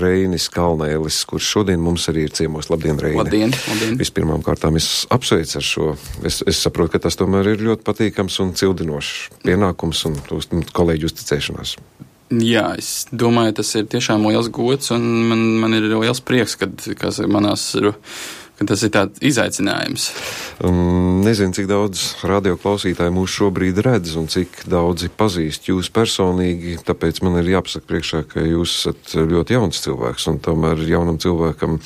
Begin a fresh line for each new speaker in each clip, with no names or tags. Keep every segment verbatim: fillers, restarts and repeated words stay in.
Reinis Kalnēlis, kurš šodien mums arī ir ciemos. Labdien, Reini!
Labdien, labdien!
Vispirmām kārtām es apsveicu ar šo. Es, es saprotu, ka tas tomēr ir ļoti patīkams un cildinošs pienākums un uz, kolēģu uzticēšanās.
Jā, es domāju, tas ir tiešām liels gods un man, man ir liels prieks, kad, kas manās ir... Tas ir tāds izaicinājums.
Um, nezinu, cik daudz radioklausītāji mūs šobrīd redz un cik daudzi pazīst jūs personīgi, tāpēc man ir jāpasaka priekšā, ka jūs esat ļoti jauns cilvēks un tomēr jaunam cilvēkam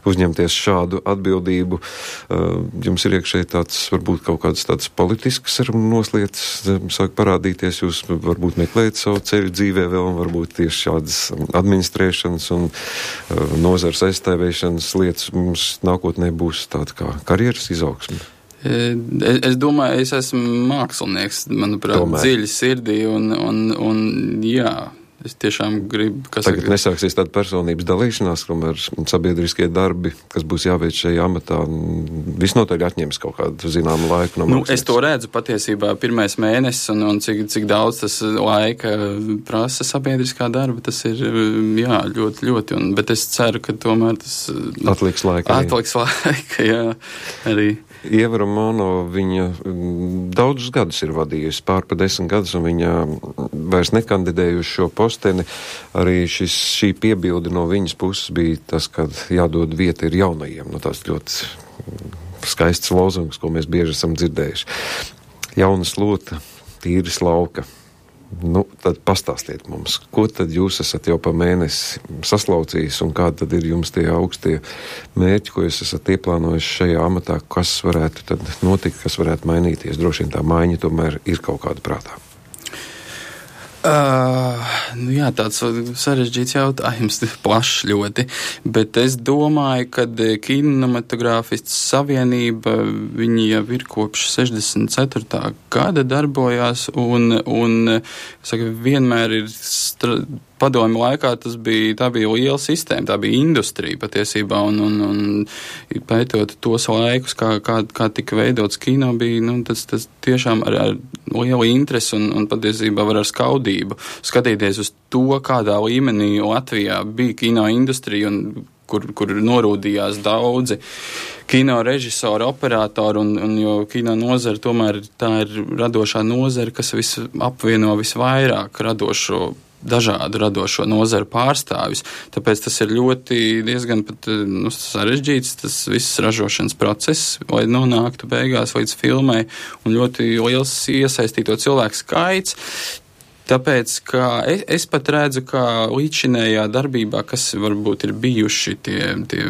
uzņemties šādu atbildību. Uh, jums ir iekšēji tāds, varbūt kaut kāds tāds politisks noslietas sāk parādīties, jūs varbūt meklējat savu ceļu dzīvē vēl un varbūt tieši šādas administrēšanas un uh, nozars aizstāvēšanas lietas mums nākotnē nebūs tāda kā karjeras izaugsme?
Es, es domāju, es esmu mākslinieks, manuprāt, Tomēr. dziļi sirdī un, un, un jā, es tiešām gribu...
Tagad saka, nesāksies tāda personības dalīšanās, kamēr sabiedriskie darbi, kas būs jāveic šajā amatā, visnotaļ atņems kaut kādu zināmu laiku no
nu, es to redzu patiesībā pirmais mēnesis un, un cik, cik daudz tas laika prasa sabiedriskā darba, tas ir, jā, ļoti, ļoti, un, bet es ceru, ka tomēr tas...
Atliks laika.
Atliks laika, jā, arī.
Ieva Romano, viņa daudzus gadus ir vadījusi, pār pa desmit gadus, un viņa vairs nekandidēja uz šo posteni. Arī šis, šī piebilde no viņas puses bija tas, ka jādod vieta ir jaunajiem. Nu, tās ļoti skaists lozungs, ko mēs bieži esam dzirdējuši. Jauna slota, tīras lauka. Nu, tad pastāstiet mums, ko tad jūs esat jau pa mēnesi saslaucījis un kādi tad ir jums tie augstie mērķi, ko jūs esat ieplānojuši šajā amatā, kas varētu tad notikt, kas varētu mainīties. Droši vien tā maiņa tomēr ir kaut kāda prātā.
Uh, nu jā, tāds sarežģīts jautājums, plašs ļoti, bet es domāju, ka kinematogrāfistu savienība, viņi jau ir kopš sešdesmit ceturtā gada darbojās un, un saka, vienmēr ir stra... padomju laikā tas bija, tā bija liela sistēma, tā bija industrija patiesībā, un, un, un pētot tos laikus, kā, kā, kā tika veidots kino, bija, nu, tas, tas tiešām ar, ar lielu interesi un, un patiesībā var ar skaudību skatīties uz to, kādā līmenī Latvijā bija kino industrija un kur, kur norūdījās daudzi kino režisori, operatori, un, un jo kino nozara tomēr tā ir radošā nozara, kas vis apvieno visvairāk radošo dažādu radošo nozaru pārstāvjus, tāpēc tas ir ļoti diezgan pat nu, sarežģīts tas viss ražošanas process, lai nonāktu beigās līdz filmai, un ļoti liels iesaistīto cilvēku skaits. Tāpēc, ka es, es pat redzu, ka līdzinējā darbībā, kas varbūt ir bijuši tie, tie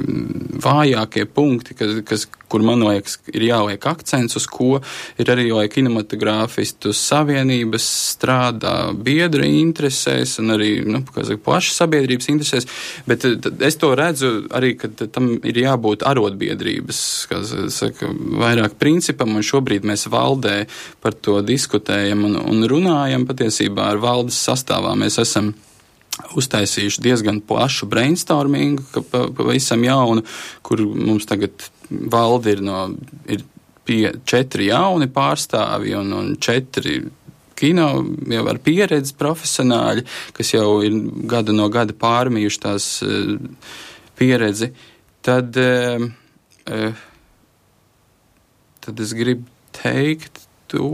vājākie punkti, kas, kas, kur man liekas ir jāliek akcents, uz ko ir arī, lai kinematogrāfistu savienības strādā biedru interesēs un arī, nu, kā saka, plašas sabiedrības interesēs, bet es to redzu arī, ka tam ir jābūt arotbiedrības, kā saka, vairāk principam, un šobrīd mēs valdē par to diskutējam un, un runājam patiesībā ar valdes sastāvā. Mēs esam uztaisījuši diezgan plašu brainstormingu, ka pavisam jaunu, kur mums tagad valde ir, no, ir pie, četri jauni pārstāvi un, un četri kino jau ar pieredzi profesionāļi, kas jau ir gadu no gada pārmījuši tās uh, pieredzi, tad, uh, uh, tad es gribu teikt to,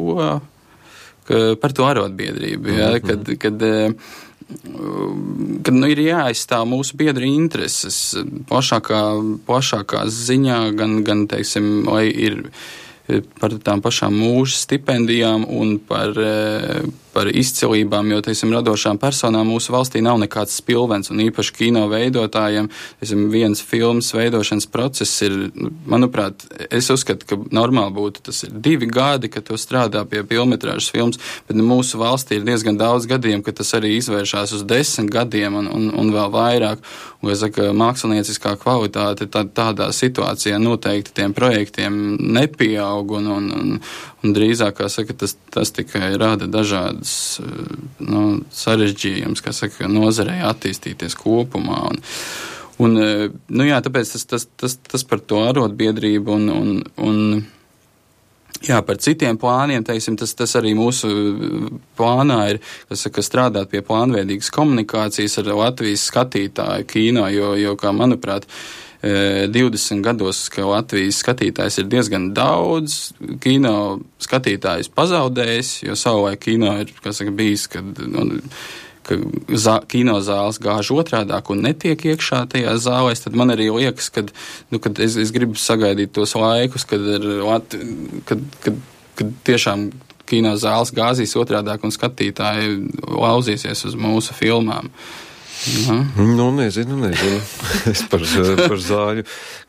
ka, par to arotbiedrību, ja, mm-hmm. kad, kad uh, kad nu, ir jāaizstāv mūsu biedru intereses plašākā, plašākā ziņā, gan, gan teiksim, lai ir par tām pašām mūža stipendijām un par, par izcilībām, jo, teiksim, radošām personām mūsu valstī nav nekāds spilvens, un īpaši kino veidotājiem, teiksim, viens filmas veidošanas process ir, manuprāt, es uzskatu, ka normāli būtu, tas ir divi gadi, ka tu strādā pie pilnmetrāžas filmas, bet mūsu valstī ir diezgan daudz gadiem, ka tas arī izvēršās uz desmit gadiem un, un, un vēl vairāk, un, es saku, mākslinieciskā kvalitāte tā, tādā situācijā noteikti tiem projektiem nepieaug, Un, un, un, un drīzāk, kā saka, tas, tas tikai rada dažādas nu, sarežģījumus, kā saka, nozarei attīstīties kopumā. Un, un, nu jā, tāpēc tas, tas, tas, tas par to arotbiedrību un, un, un Jā, par citiem plāniem, teiksim, tas, tas arī mūsu plānā ir, kas saka, strādāt pie plānveidīgas komunikācijas ar Latvijas skatītāju kino, jo, jo kā manuprāt, divdesmit gados, ka Latvijas skatītājs ir diezgan daudz, kino skatītājs pazaudējis, jo savulaik kino ir, kas saka, bijis, kad, nu, ka zā, kinozāles gāž otrādāk un netiek iekšā tajā zālēs, tad man arī liekas, kad, nu, kad es, es gribu sagaidīt tos laikus, kad, ir, kad, kad, kad tiešām kinozāles gāzīs otrādāk un skatītāji lauzīsies uz mūsu filmām. Jā.
Nu, nezinu, nezinu. Es par, par zāļu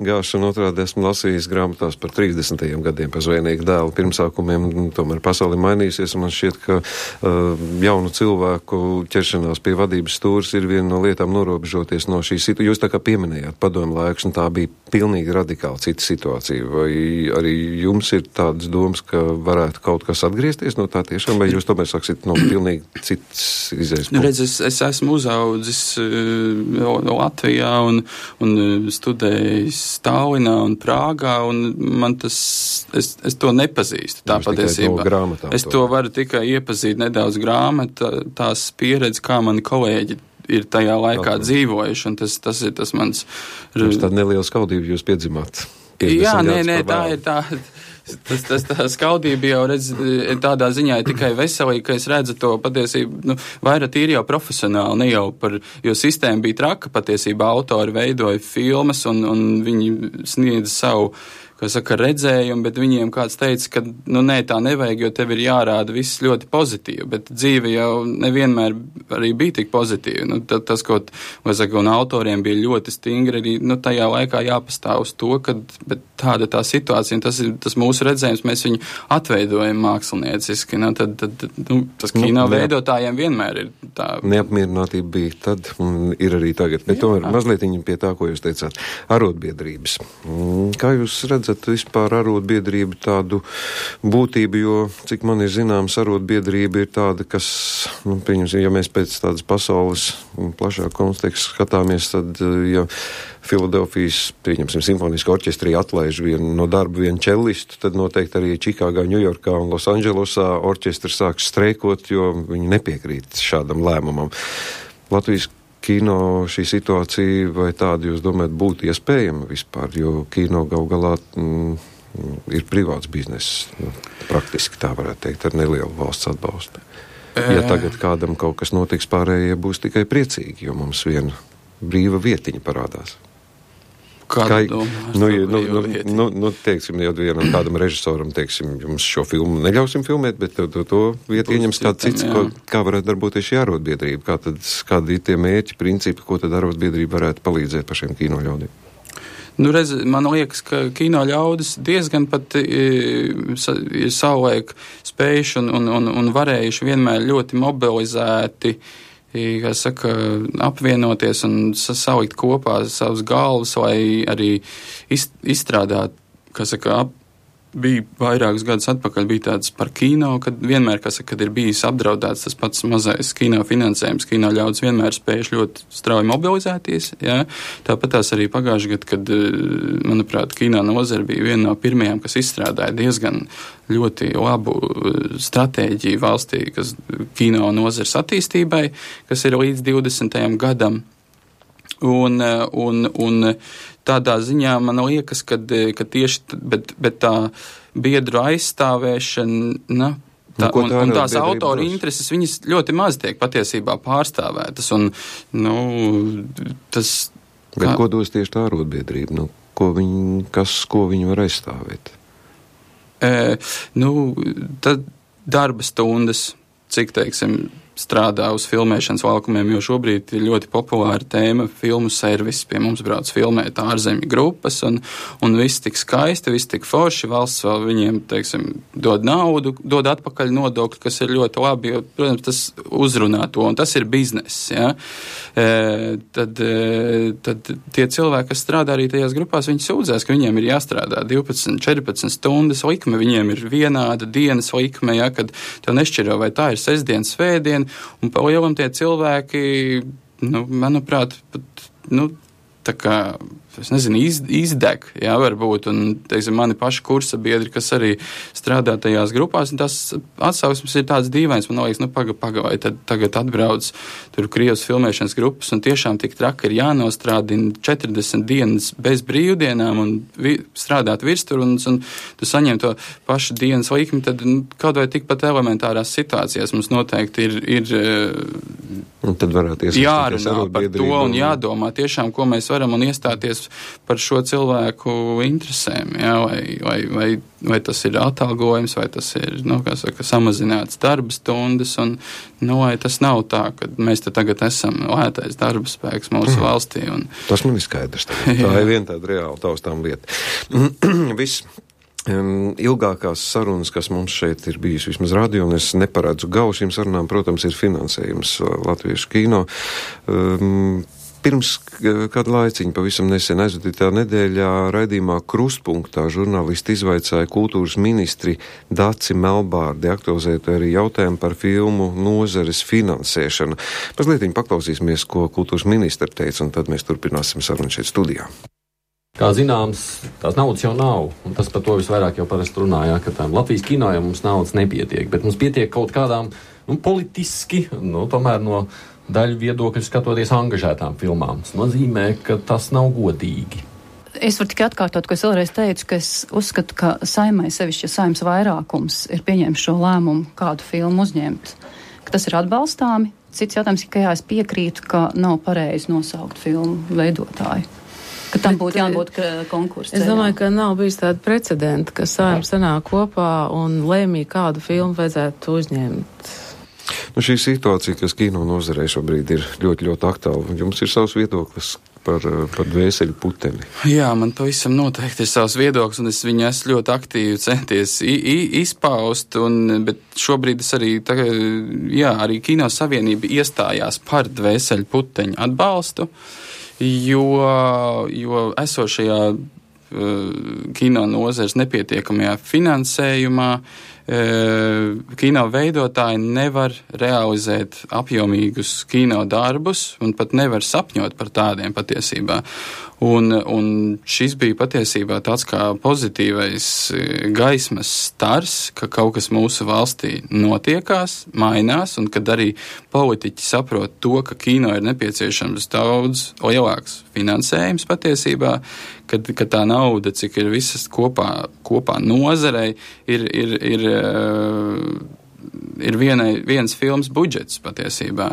gāšanu otrādi esmu lasījis grāmatās par trīsdesmitajiem gadiem, par zvejnieku dēlu pirmsākumiem. Tomēr pasauli mainīsies, un man šķiet, ka uh, jaunu cilvēku ķeršanās pie vadības stūres ir viena no lietām norobežoties no šīs situācijas. Jūs tā kā pieminējāt padomu laikus, un tā bija pilnīgi radikāli cita situācija. Vai arī jums ir tādas domas, ka varētu kaut kas atgriezties no tā tiešām, vai jūs tomēr saksit no pilnīgi citas izējas?
Nu, redz, es, es esmu uzaudzis Latvijā un, un studējis Tallinā un Prāgā, un man tas, es, es to nepazīstu, tā patiesībā. No es to varu tikai iepazīt nedaudz grāmata, tās pieredzi, kā mani kolēģi ir tajā laikā Tātad. dzīvojuši, un tas, tas ir tas mans...
Jums tāda neliela skaudība jūs piedzimāt.
Jā, nē, nē, tā ir tā... Tas, tas tā skaudība jau redz tādā ziņā ir tikai veselīga, ka es redzu to patiesību, nu, vairāk tīri jau profesionāli, ne jau par, jo sistēma bija traka, patiesībā autori veidoja filmas un, un viņi sniedza savu, kā saka, redzējumu, bet viņiem kāds teica, ka, nu, nē, tā nevajag, jo tev ir jārāda viss ļoti pozitīvi, bet dzīve jau nevienmēr arī bija tik pozitīva. Nu, tas, tas kaut, vai saka, un autoriem bija ļoti stingri arī, nu, tajā laikā jāpastāv uz to, ka, bet tāda tā situācija, un tas ir tas mūsu redzējums, mēs viņu atveidojam mākslinieciski, nu, tad, tad, nu, tas kino nu, veidotājiem vienmēr ir tā.
Neapmierinātība bija tad, un ir arī tagad, bet tomēr mazliet pie tā, ko jūs teicāt, arotbiedrības. Kā jūs redzat, vispār arotbiedrība tādu būtību, jo, cik man ir zināms, arotbiedrība ir tāda, kas, nu, pieņemsim, ja mēs pēc tādas pasaules plašāk konteksta skatāmies, tad, ja Filadelfijas, pieņemsim, simfoniska orķestrī atlaiž vienu no darba vienu čellistu, tad noteikti arī Čikāgā, Ņujorkā un Losandželosā orķestri sāks streikot, jo viņi nepiekrīt šādam lēmumam. Latvijas kino šī situācija, vai tāda jūs domājat būtu iespējama vispār, jo kino gal galā mm, ir privāts bizness, nu, praktiski tā varētu teikt, ar nelielu valsts atbalstu. Ja tagad kādam kaut kas notiks, pārējie būs tikai priecīgi, jo mums viena brīva vietiņa parādās.
Kāda
Kā, nu, nu, nu, nu, nu, teiksim, jau vienam kādam režisoram, teiksim, jums šo filmu neļausim filmēt, bet to, to, to vietu ieņems kāds cits, ko, kā varētu darboties šī arotbiedrība, kā tad, kādi ir tie mērķi, principi, ko tad arotbiedrība varētu palīdzēt pašiem kino ļaudīm?
Nu, redz, man liekas, ka kino ļaudis diezgan pat ir savulaik spējuši un, un, un, un varējuši vienmēr ļoti mobilizēti, kā saka, apvienoties un salikt kopā savus galvas, lai arī izstrādāt, kā saka, ap, bija vairākus gadus atpakaļ, bija tāds par kino, kad vienmēr, kā saka, kad ir bijis apdraudēts tas pats mazais kino finansējums, kino ļaudis vienmēr spējuši ļoti strauji mobilizēties, jā. Tāpat tās arī pagājuši gadu, kad, manuprāt, kino nozara bija viena no pirmajām, kas izstrādāja diezgan ļoti labu stratēģiju valstī, kas kino nozares attīstībai, kas ir līdz divdesmitajam gadam. Un, un, un tādā ziņā man liekas, ka, ka tieši bet, bet tā biedru aizstāvēšana, na, tā, un, un tās autoru intereses, viņas ļoti maz tiek patiesībā pārstāvētas. Un, nu, tas,
bet kā... ko dos tieši tā arotbiedrība? Nu, ko viņi, kas, ko viņi var aizstāvēt?
E, nu, tad darba stundas, cik, teiksim, strādā uz filmēšanas laukumiem, jo šobrīd ir ļoti populāra tēma filmu servis. Pie mums brauc filmēt ārzemju grupas, un, un viss tik skaisti, viss tik forši, valsts vēl viņiem, teiksim, dod naudu, dod atpakaļ nodokļu, kas ir ļoti labi, jo, protams, tas uzrunā to, un tas ir bizness, ja? E, tad, e, tad tie cilvēki, kas strādā arī tajās grupās, viņi sūdzēs, ka viņiem ir jāstrādā divpadsmit, četrpadsmit stundas likme, viņiem ir vienāda dienas likme, ja, kad tev nešķiro, vai tā ir sestdien, svētdien, un pa lielam tie cilvēki, nu, manuprāt, pat, nu, tā kā, es nezinu, iz, izdeg, jā, varbūt, un, teiksim, mani paši kursa biedri, kas arī strādā tajās grupās, un tās atsauksmes ir tāds dīvains, man liekas, nu, paga, paga, vai tad tagad atbrauc tur Krievas filmēšanas grupas, un tiešām tik traki ir jānostrādina četrdesmit dienas bez brīvdienām un vi, strādāt virstur, un, un tu saņem to pašu dienas likmi, tad nu, kaut vai tikpat elementārās situācijās mums noteikti ir, ir
un tad varētu
jārunā par to un jādomā tiešām, ko mēs varam un iestāties par šo cilvēku interesēm, jā, vai, vai, vai, vai tas ir atalgojums, vai tas ir, nu, kā saka, samazināts darba stundas, un, nu, vai tas nav tā, ka mēs te tagad esam lētais darba spēks mūsu mm. valstī. Un...
Tas man ir skaidrs. Tā ir viena tāda reāla taustām lieta. Viss. Um, ilgākās sarunas, kas mums šeit ir bijis vismaz radio, un es neparedzu galu šīm sarunām, protams, ir finansējums latviešu kino. Um, Pirms kādu laiciņu, pavisam nesen aizvadītā nedēļā raidījumā Krustpunktā žurnālisti izvaicāja kultūras ministri Daci Melbārdi aktualizēt arī jautājumu par filmu nozares finansēšanu. Mazlietiņ paklausīsimies, ko kultūras ministra teica, un tad mēs turpināsim sarunu šeit studijā.
Kā zināms, tās naudas jau nav, un tas par to visvairāk jau parasti runājā, ka tām Latvijas kino jau mums naudas nepietiek, bet mums pietiek kaut kādām, nu, politiski, nu, tomēr no daļu viedokļu skatoties angažētām filmām. Tas nozīmē, ka tas nav godīgi.
Es varu tikai atkārtot, ko es vēlreiz teicu, ka es uzskatu, ka saimai, sevišķi, ja saimas vairākums ir pieņēmis šo lēmumu, kādu filmu uzņemt, ka tas ir atbalstāmi. Cits jautājums ir, ka jā, es piekrītu, ka nav pareizi nosaukt filmu veidotāju. Ka tam būtu jābūt konkursu ceļā.
Es domāju, ka nav bijis tāda precedenta, ka saima sanāk kopā un lēmī, kādu filmu vajadzētu uzņemt.
Nu, šī situācija, kas kino nozarē šobrīd ir ļoti, ļoti aktuāla. Jums ir savs viedoklis par, par dvēseli puteni?
Jā, man pavisam noteikti ir savs viedoklis, un es viņu esmu ļoti aktīvi centies i, i, izpaust, un, bet šobrīd es arī, tā, jā, arī Kino Savienība iestājās par dvēseli puteņu atbalstu, jo, jo esošajā uh, kino nozares nepietiekamajā finansējumā kino veidotāji nevar realizēt apjomīgus kino darbus un pat nevar sapņot par tādiem patiesībā. Un, un šis bija patiesībā tāds kā pozitīvais gaismas stars, ka kaut kas mūsu valstī notiekās, mainās, un kad arī politiķi saprot to, ka kino ir nepieciešams daudz lielāks finansējums patiesībā, kad, kad tā nauda, cik ir visas kopā, kopā nozarei, ir, ir, ir ir vienai, viens filmas budžets patiesībā.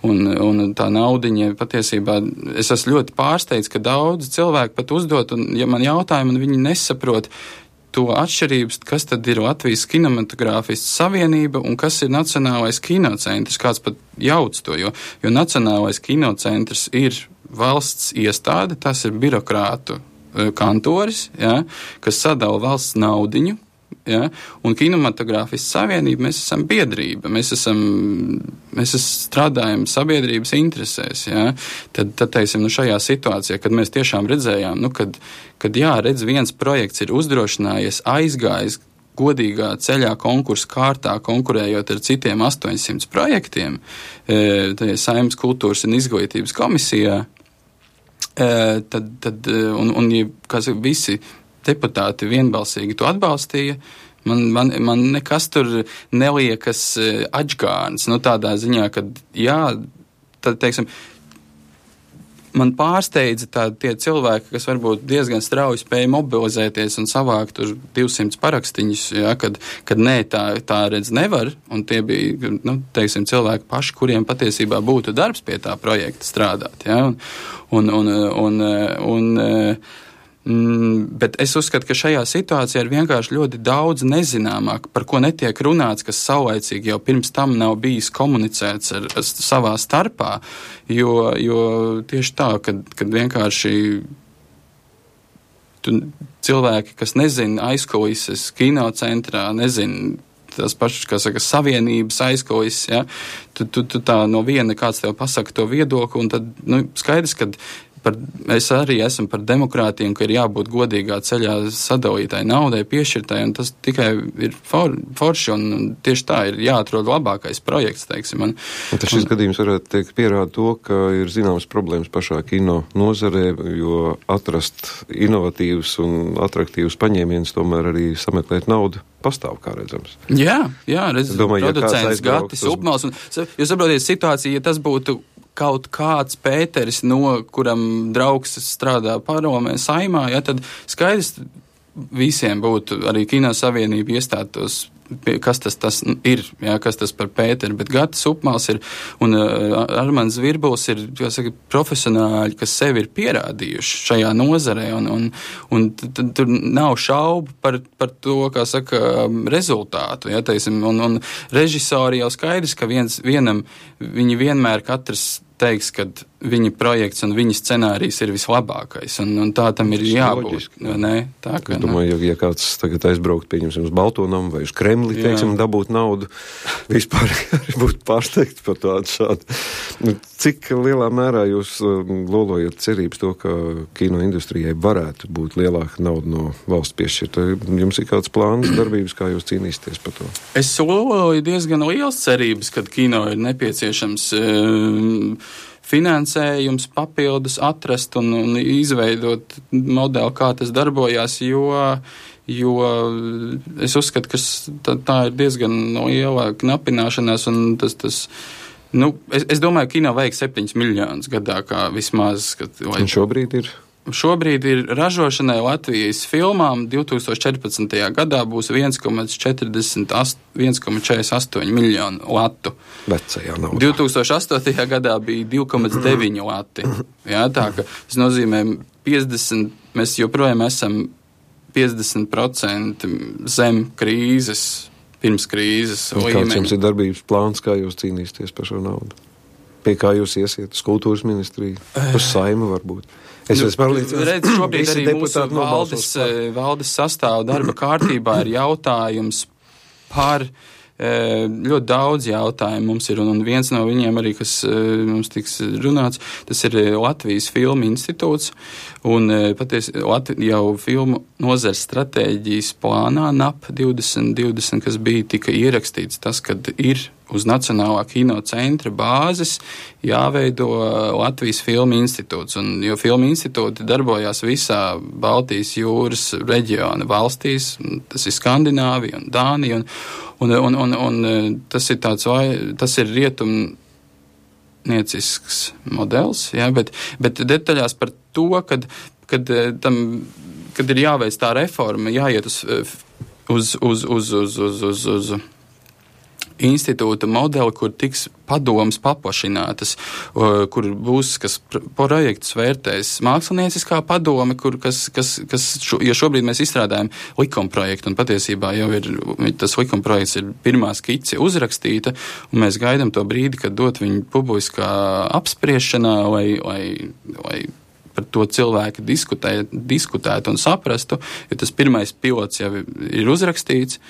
Un, un tā naudiņa patiesībā, es esmu ļoti pārsteigts, ka daudz cilvēku pat uzdot, un ja man jautājumu, un viņi nesaprot to atšķirības, kas tad ir Latvijas kinematogrāfistu savienība un kas ir Nacionālais kinocentrs, kāds pat jauc to, jo, jo Nacionālais kinocentrs ir valsts iestāde, tas ir birokrātu kantoris, ja, kas sadala valsts naudiņu, ja, un kinematogrāfistu savienība, mēs esam biedrība, mēs esam, mēs esam strādājam sabiedrības interesēs, ja, tad, tad teiksim, nu šajā situācijā, kad mēs tiešām redzējām, nu, kad, kad jā, redz, viens projekts ir uzdrošinājies, aizgājis godīgā ceļā konkursu kārtā, konkurējot ar citiem astoņsimt projektiem, e, Saeimas kultūras un izglītības komisijā, e, tad, tad, un, un ja, kā saka, visi deputāti vienbalsīgi to atbalstīja, man, man, man nekas tur neliekas atžgārns, nu tādā ziņā, ka jā, tad, teiksim, man pārsteidza tā, tie cilvēki, kas varbūt diezgan strauji spēja mobilizēties un savākt tur divsimt parakstīņus, ja, kad, kad nē, tā, tā redz nevar, un tie bija, nu, teiksim, cilvēki paši, kuriem patiesībā būtu darbs pie tā projekta strādāt, ja, un, un, un, un, un, un Mm, bet es uzskatu, ka šajā situācijā ir vienkārši ļoti daudz nezināmāk, par ko netiek runāts, kas saulaicīgi jau pirms tam nav bijis komunicēts ar, ar savā starpā, jo, jo tieši tā, kad, kad vienkārši tu, cilvēki, kas nezina aizkulises kinocentrā, nezina tās pašas, kā saka, savienības aizkulises, ja, tu, tu, tu tā no viena kāds tev pasaka to viedokli, un tad, nu, skaidrs, kad par, es arī esmu par demokrātiju, ka ir jābūt godīgā ceļā sadalītai naudai, piešķirtai, un tas tikai ir for, forši, un, un tieši tā ir jāatrod labākais projekts, teiksim. Un,
un tas šis un, gadījums varētu teikt pierāda to, ka ir zināmas problēmas pašā kino nozarē, jo atrast inovatīvus un atraktīvus paņēmienus, tomēr arī sameklēt naudu pastāv, kā redzams.
Jā, jā, redz,
domāju,
producents ja Gatis Upmals, un jūs saprotiet situāciju, ja tas būtu kaut kāds Pēteris, no kuram draugs strādā padomē Saimā, ja, tad skaidrs visiem būtu arī Kino Savienība iestātos, kas tas, tas ir, ja, kas tas par Pēteri, bet Gatis Upmals ir, un uh, Armands Virbuls ir, kā saka, profesionāļi, kas sevi ir pierādījuši šajā nozarē, un, un, un tad tur nav šaubu par, par to, kā saka, rezultātu, ja, teiksim, un, un režisori jau skaidrs, ka viens, vienam, viņi vienmēr katrs teiks, ka viņa projekts un viņa scenārijs ir vislabākais, un, un tā tam ir jābūt. Nē, tā, ka,
es domāju, ja, ja kāds tagad aizbraukt, pieņemsim, uz Baltonamu vai uz Kremli, jā. teiksim, dabūt naudu, vispār arī būtu pārsteigts par tādu šādu. Cik lielā mērā jūs lolojat cerības to, ka kino industrijai varētu būt lielāka nauda no valsts piešķirta? Jums ir kāds plāns, darbības, kā jūs cīnīsieties par to?
Es loloju diezgan liels cerības, kad kino ir nepieciešams um, finansējums papildus atrast un, un izveidot modeli, kā tas darbojās, jo, jo es uzskatu, ka tā, tā ir diezgan liela knapināšanās, un tas, tas nu, es, es domāju, kino vajag septiņus miljonus gadā, kā vismaz. Kad, lai...
Un šobrīd ir?
Šobrīd ir ražošanai Latvijas filmām divs tūkstoši četrpadsmitajā gadā būs viens komats četrdesmit astoņi miljonu latu.
Vecajā naudā.
divs tūkstoši astotajā gadā bija divi komats deviņi lati. Jā, tā ka tas nozīmē piecdesmit, mēs joprojām esam piecdesmit procenti zem krīzes, pirms krīzes līmeņa.
Kāds jums ir darbības plāns, kā jūs cīnīsieties par šo naudu? Pie kā jūs iesiet? Uz kultūras ministriju? Uz Saimu varbūt? Es
nu,
pārliecināts,
redz, šobrīd arī mūsu valdes, valdes sastāvu darba kārtībā ir jautājums par ļoti daudz jautājumu mums ir, un viens no viņiem arī, kas mums tiks runāts, tas ir Latvijas Filmu institūts, un patiesi Latvi, jau filmu nozares stratēģijas plānā N A P divdesmit divdesmit, kas bija tika ierakstīts tas, kad ir uz Nacionālā kino centra bāzes jāveido Latvijas Filmu institūts, un jo Filmu institūti darbojās visā Baltijas jūras reģiona valstīs, tas ir Skandināvija un Dānija, un, un, un, un, un tas ir tāds, vai, tas ir rietumniecisks modelis, jā, bet, bet detaļās par to, kad, kad, tam, kad ir jāveic tā reforma, jāiet uz, uz, uz, uz, uz, uz, uz, uz institūta modeli, kur tiks padomas paplašinātas, kur būs, kas projekts vērtēs mākslinieckā padome, kur, kas, kas, kas šo, jo šobrīd mēs izstrādājam likumprojektu, un patiesībā jau ir, tas likumprojekts ir pirmā skice uzrakstīta, un mēs gaidām to brīdi, kad dot viņu publiskā apspriešanā, lai, lai, lai par to cilvēki diskutē, diskutētu un saprastu, jo tas pirmais pilots jau ir uzrakstīts,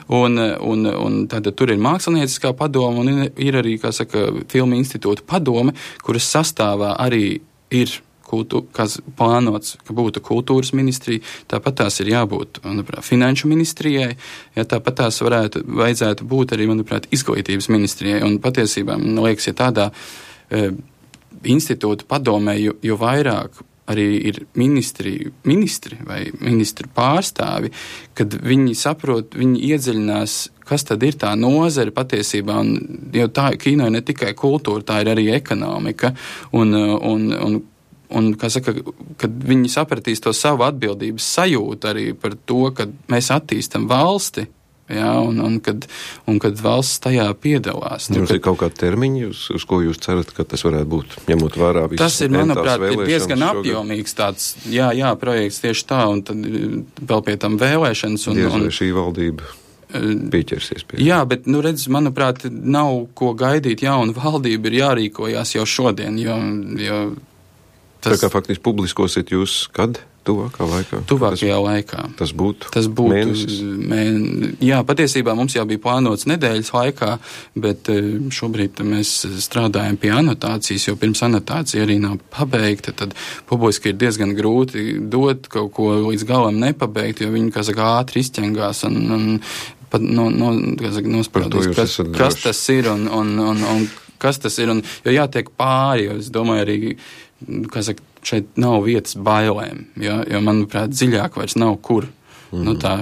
un, un, un tad tur ir mākslinieckā padoma, un ir arī, kā saka, Filmu institūta padome, kuras sastāvā arī ir kultūra, kas plānots, ka būtu kultūras ministrija, tāpat tās ir jābūt, manuprāt, finanšu ministrijai, ja tāpat tās varētu, vajadzētu būt arī, manuprāt, izglītības ministrijai, un patiesībā, man liekas, ja tādā e, institūta padomē, jo, jo vairāk arī ir ministri, ministri vai ministru pārstāvi, kad viņi saprot, viņi iedziļinās, kas tad ir tā nozare patiesībā, un jo tā kino ir ne tikai kultūra, tā ir arī ekonomika, un, un, un, un kā saka, kad viņi sapratīs to savu atbildības sajūtu arī par to, ka mēs attīstam valsti, jā, un, un, kad, un kad valsts tajā piedalās.
Jums ir kaut kādi termiņi, uz, uz ko jūs cerat, ka tas varētu būt, ņemot vērā visas
tas ir, manuprāt, ir diezgan apjomīgs tāds, jā, jā, projekts tieši tā, un tad vēl pie tam vēlēšanas. Un,
Diez vai
un,
šī valdība pieķersies pie.
Jā, bet, nu, redz, manuprāt, nav ko gaidīt, jauna valdība ir jārīkojās jau šodien, jo, jo tas...
Tā kā faktiski publiskosiet jūs kad? tuvākā laikā?
Tuvākajā laikā.
Tas būtu,
tas būtu
mēnesis?
Mē, jā, patiesībā mums jau bija plānots nedēļas laikā, bet šobrīd mēs strādājam pie anotācijas, jo pirms anotācija arī nav pabeigta, tad publiski ir diezgan grūti dot kaut ko līdz galam nepabeigt, jo viņi, kā saka, ātri izķengās un, un pat no, no, kā saka, nospraudīs, kas, kas tas ir un, un, un, un kas tas ir, un, jo jātiek pāri, jo es domāju arī, kā saka, šeit nav vietas bailēm, ja, jo, manuprāt, dziļāk vairs nav kur. Mm. Nu, tā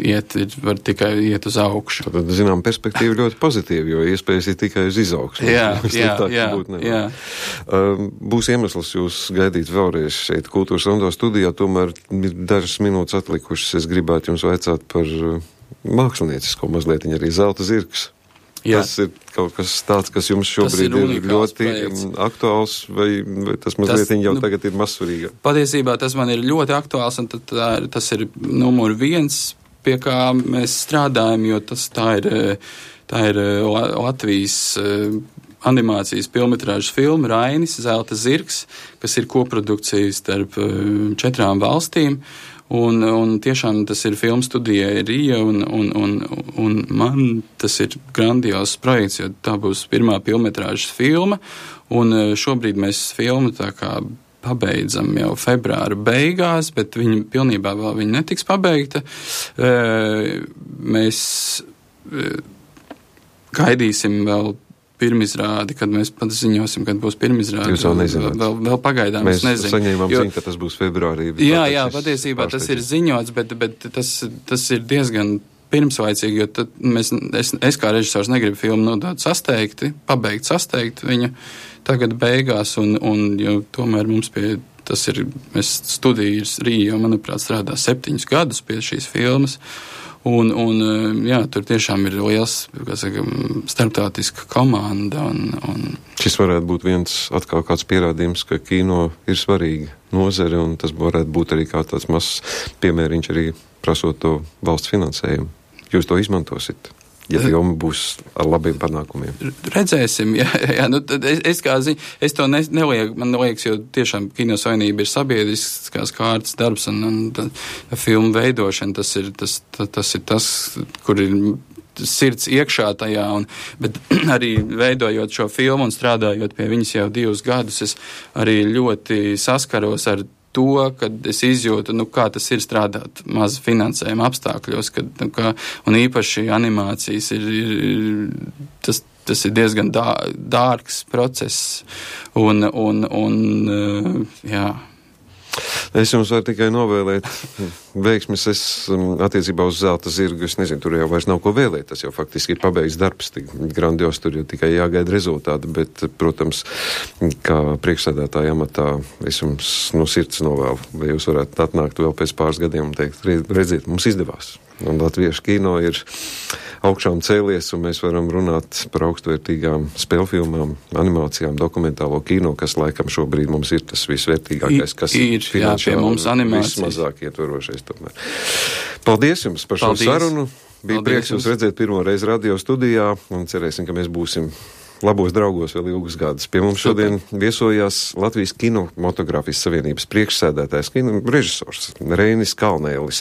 iet, var tikai iet uz augšu.
Tad, zinām, perspektīva ļoti pozitīva, jo iespējas ir tikai uz izaugsmu.
Jā, jā, jā, jā.
Uh, būs iemesls jūs gaidīt vēlreiz šeit Kultūras Rondo studijā, tomēr ir dažas minūtes atlikušas. Es gribētu jums vaicāt par uh, māksliniecisko mazliet, arī Zelta zirgs. Jā. Tas ir kaut kas tāds, kas jums šobrīd ir, ir ļoti projekts. Aktuāls, vai, vai tas mazliet tas, jau nu, tagad ir mazsvarīgāk?
Patiesībā tas man ir ļoti aktuāls, un tad, tā, tas ir numur viens, pie kā mēs strādājam, jo tas tā ir, tā ir Latvijas animācijas filmetrāžas filma Rainis, Zelta zirgs, kas ir koprodukcija starp četrām valstīm. Un, un tiešām tas ir filmu studijai Rija, un, un, un, un man tas ir grandios projekts, jo tā būs pirmā filmetrāžas filma, un šobrīd mēs filmu tā kā pabeidzam jau februāra beigās, bet viņa pilnībā vēl viņa netiks pabeigta. Mēs gaidīsim vēl pirmizrādi, kad mēs pat ziņosim, kad būs pirmizrādi.
Jūs vēl nezināt.
Vēl, vēl pagaidām
mēs
es nezinu.
Mēs saņēmām jo, ziņu, ka tas būs februārī.
Jā, jā, patiesībā tas ir ziņots, bet, bet tas, tas ir diezgan pirmslaicīgi, jo tad mēs, es, es kā režisors negribu filmu nodot sasteigti, pabeigt sasteigt viņu tagad beigās, un, un jo tomēr mums pie, tas ir, mēs studijas Rīja, jo, manuprāt, strādā septiņus gadus pie šīs filmas. Un, un, jā, tur tiešām ir liels, kā saka, starptautiska komanda. Un, un...
Šis varētu būt viens atkal kāds pierādījums, ka kino ir svarīga nozare, un tas varētu būt arī kā tāds mazs piemēriņš arī prasot to valsts finansējumu. Jūs to izmantosiet, ja filma būs ar labiem panākumiem.
Redzēsim, jā, jā, nu, tad es, es kā ziņu, es to ne, nelieku, man liekas, jo tiešām Kino Savienība ir sabiedriskās kārtas darbs, un, un tā, filmu veidošana, tas ir tas, tas, tas ir tas, kur ir sirds iekšā tajā, un, bet arī veidojot šo filmu un strādājot pie viņas jau divus gadus, es arī ļoti saskaros ar to, kad es izjūtu, nu, kā tas ir strādāt maz finansējuma apstākļos, kad, nu, kā, un īpaši animācijas ir, ir tas, tas ir diezgan dā, dārgs process, un, un, un jā.
Es jums varu tikai novēlēt veiksmes. Es attiecībā uz Zelta zirgu, es nezinu, tur jau vairs nav ko vēlēt. Tas jau faktiski ir pabeigts darbs, tik grandios, tur jau tikai jāgaida rezultāti. Bet, protams, kā priekšsēdētāja amatā, es jums no sirds novēlu, vai jūs varētu atnākt vēl pēc pāris gadiem un teikt, redziet, mums izdevās. Un latviešu kino ir augšām cēlies, un mēs varam runāt par augstvērtīgām spēlfilmām, animācijām, dokumentālo kino, kas laikam šobrīd mums ir tas visvērtīgākais, kas
ir, jā, pie mums animācijas.
Vismazāk ietvarošais tomēr. Paldies jums par šo
Paldies.
sarunu. Bija Paldies prieks jūs redzēt pirmo reizi radio studijā, un cerēsim, ka mēs būsim labos draugos vēl ilgus gadus. Pie mums šodien viesojās Latvijas Kinematogrāfijas Savienības priekšsēdētājs, kino režisors Reinis Kalnēlis.